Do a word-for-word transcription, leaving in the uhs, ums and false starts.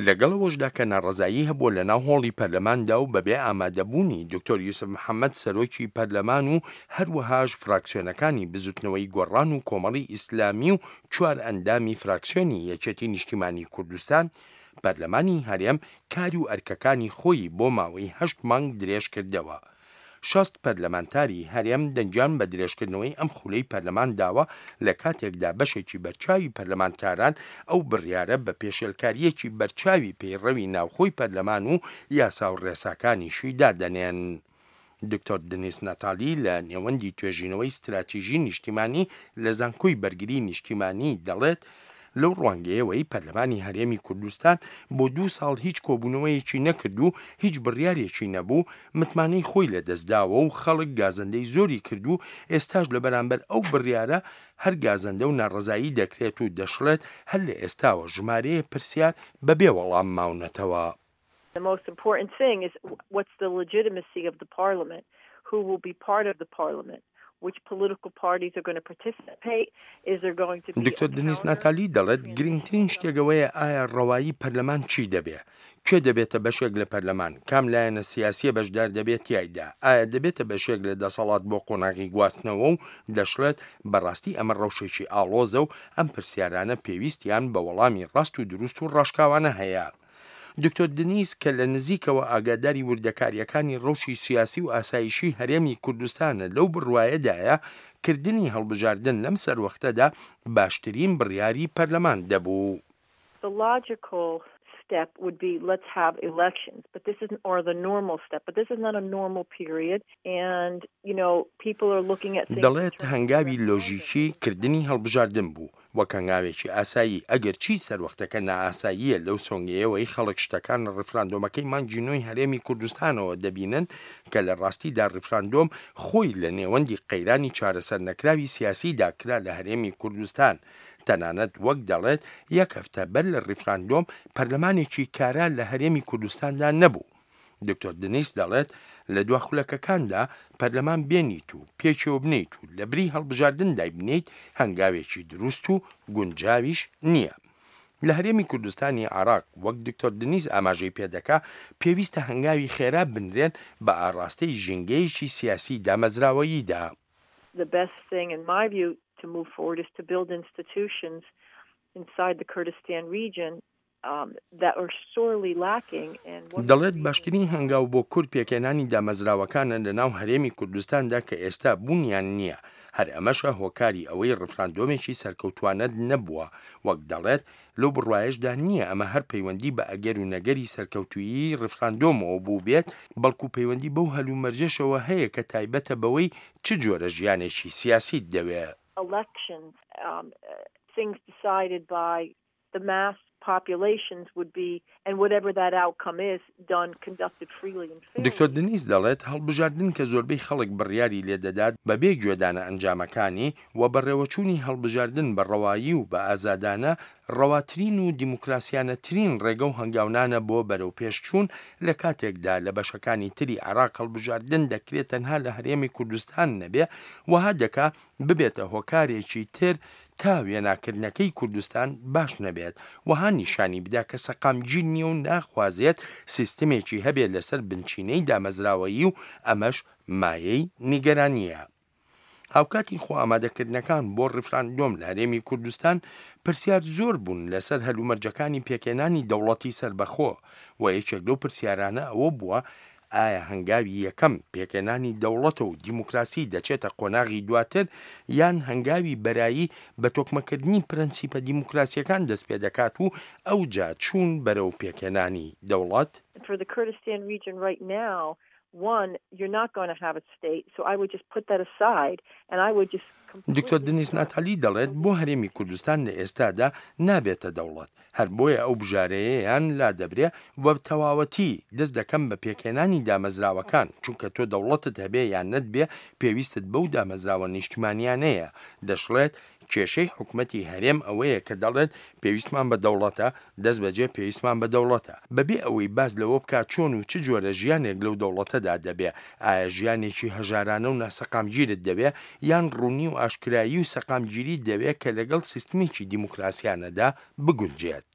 لەگەڵ ئەوەشدا کە ناڕەزایی هەبووە لەناو هۆڵی پەرلەماندا و بەبێ ئامادەبوونی دکتۆر یوسف محەمەد سەرۆکی پەرلەمان و هەروەهاش فراکسیۆنەکانی بزوتنەوەی گۆڕان و کۆمەڵی ئیسلامی و چوار ئەندامی فراکسیۆنی یەکێتی نیشتیمانی کوردستان، پەرلەمانی هەرێم کار و ئەرکەکانی خۆی بۆ ماوەی هەشت مانگ درێژکردەوە. شەست پەرلەمانتاری هەرێم دەنگیان بە درێژکردنەوەی ئەم خولەی پەرلەمان داوە، لە کاتێکدا بەشێکی بەرچاوی پەرلەمانتاران ئەو بڕیارە بە پێشێلکارییەکی بەرچاوی پەیڕەوی ناوخۆی پەرلەمان و یاسا و ڕێساکانیشی دادەنێن. دکتۆر دنیس ناتالی لە نێوەندی توێژینەوەی ستراتیژی نیشتیمانی لە زانکۆی بەرگری نیشتیمانی دەڵێت، لەو ڕوانگەیەوەی پەرلەمانی هەرێمی کوردستان بۆ دوو ساڵ هیچ کۆبوونەوەیەکی نەکرد و هیچ بڕیارێکی نەبوو، متمانەی خۆی لەدەستداوە و خەڵک گازەندەی زۆری کرد و ئێستاش لە بەرامبەر ئەو بڕیارە هەر گازەندە و ناڕەزایی دەکرێت و دەشڵێت هەر لە ئێستاوە ژمارەیە پرسیار بەبێ وەڵام ماونەتەوە. The most important thing is what's the legitimacy of the parliament, who will be part of the parliament, which political parties are going to participate, is there going to be دکتۆر دنیس ناتالی دەڵێت گرنگترین شتێک ئەوەیە ئایا ڕەوایی پەرلەمان چی دەبێ؟ کێ دەبێتە بەشێک لە پەرلەمان؟ کام لایەنە سیاسیە بەشدار دەبێت تیایدا؟ ئایا دەبێتە بەشێک لە دەسەڵات بۆ قۆناغی گواستنەوە؟ و دەشڵێت بەڕاستی ئەمە ڕەوشێکی ئاڵۆزە و ئەم پرسیارانە پێویستیان بە وەڵامی ڕاست و دروست و ڕاشکاوانە هەیە. دکتۆر دنیس کە لە نزیکەوە ئاگاداری وردەکاریەکانی ڕەوشی سیاسی و ئاسایشی هەرێمی کوردستانە لەو بڕوایەدایە کردنی هەڵبژاردن لەم سەروەختەدا باشترین بڕیاری پەرلەمان دەبوو. The logical step would be let's have elections, but this isn't, or the normal step, but this is not a normal period, and you know people are looking at things. دەڵێت هەنگاوی لۆژیکی کردنی هەڵبژاردن بوو وەک هەنگاوێکی ئاسایی، ئەگەر چی سەروەختەکە نائاساییە لەو سۆنگەیەوەی خەڵک شتەکان لە ڕیفراندۆمەکەی مانگی نۆی هەرێمی کوردستانەوە دەبینن کە لە ڕاستیدا ڕیفراندۆم خۆی لە نێوەندی قەیرانی چارەسەر نەکراوی سیاسیدا کرا لە هەرێمی کوردستان. تەنانەت وەک دەڵێت یەک هەفتە بەر لە ڕیفراندۆم پەرلەمانێکی کارا لە هەرێمی کوردستاندا نەبوو. دکتۆر دنیس دەڵێت لە دوا خولەکەکاندا پەرلەمان بێنیت و پێکەوە بنیت و لە بری هەڵبژاردن دایبنیت هەنگاوێکی دروست و گونجاویش نییە. لە هەرێمی کوردستانی عراق وەک دکتۆر دنیس ئاماژەی پێدەکا پێویستە هەنگاوی خێرا بنرێن بە ئاراستەی ژینگەیەکی سیاسی دامەزراوەییدا. The best thing in my view to move forward is to build institutions inside the Kurdistan region um, that are sorely lacking. And دەڵێت باشترین هەنگاو بۆ کورد پێکهێنانی دامەزراوەکانە لە ناو هەرێمی کوردستاندا کە ئێستا بوونیان نییە. هەر ئەمەشە هۆکاری ئەوەی ڕفراندۆمێکی سەرکەوتوانەت نەبووە. وەک دەڵێت لەو بڕوایەشدا نییە ئەمە هەر پەیوەندی بە ئەگەر و نەگەری سەرکەوتویی ڕفراندۆمەوە بوو بێت، بەڵکو پەیوەندی بەو هەلومەرجەشەوە هەیە کە تایبەتە بەوەی چ جۆرە ژیانێکی سیاسیت دەوێ. Elections, um, things decided by the mass populations would be, and whatever that outcome is, done, conducted freely and fairly. دکتۆر دنیس دەڵێت هەڵبژاردن کە زۆربەی خەڵک بڕیاری لێدەدات بەبێ گوێدانە ئەنجامەکانی و بەڕێوەچوونی هەڵبژاردن بە ڕەوایی و بە ئازادانە ڕەواترین و دیموکراسیانەترین ڕێگە و هەنگاونانە بۆ بەرەو پێشچوون، لە کاتێکدا لە بەشەکانی تری عێراق هەڵبژاردن دەکرێت تەنها لە هەرێمی کوردستان نەبێ، وەها دەکا ببێتە هۆکارێکی تر تا وێناکردنەکەی کوردستان باش نەبێت، وەها نیشانی بدا کە سەقامگیر نییە و ناخوازێت سیستمێکی هەبێت لەسەر بنچینەی دامەزراوەیی و ئەمەش مایەی نیگەرانیە. هاوکاتی خۆ ئامادەکردنەکان بۆ ڕیفراندۆم لە هەرێمی کوردستان پرسیار زۆر بوون لەسەر هەلومەرجەکانی پێکهێنانی دەوڵەتی سەربەخۆ و یەکێک لەو پرسیارانە ئەوە بووە ئایا هەنگاوی یەکەم پێکهێنانی دەوڵەتە و دیموکراسی دەچێتە قۆناغی دواتر، یان هەنگاوی بەرایی بە تۆکمەکردنی پرەنسیپە دیموکراسیەکان دەست پێ دەکات و ئەوجا چوون بەرەو پێکهێنانی دەوڵەت؟ For the Kurdistan region right now, one, you're not going to have a state, so I would just put that aside and I would just دکتۆر دنیس ناتالی دەڵێت بۆ هەرێمی کوردستان لە ئێستادا نابێتە دەوڵەت، هەر بۆیە ئەو بژارەیەیان لا دەبرێ و تەواوەتی دەست دەکەم بە پێکهێنانی دامەزراوەکان، چونکە تۆ دەوڵەتت هەبێ یان نەتبێ پێویستت بەو دامەزراوە نیشتمانیانەیە. دەشڵێت کێشەی حکومەتی هەرێم ئەوەیە کە دەڵێت پێویستمان بە دەوڵەتە، دەست بەجێ پێویستمان بە دەوڵەتە، بەبێ ئەوەی باز لەوە بکات چۆن و چ جۆرە ژیانێک لەو دەوڵەتەدا دەبێ. ئایا ژیانێکی هەژارانە و ناسەقامگیرت دەوێ، یان ڕوونی و ئاشکرایی و سەقامگیری دەوێ کە لەگەڵ سیستمێکی دیموکراسیانەدا بگونجێت؟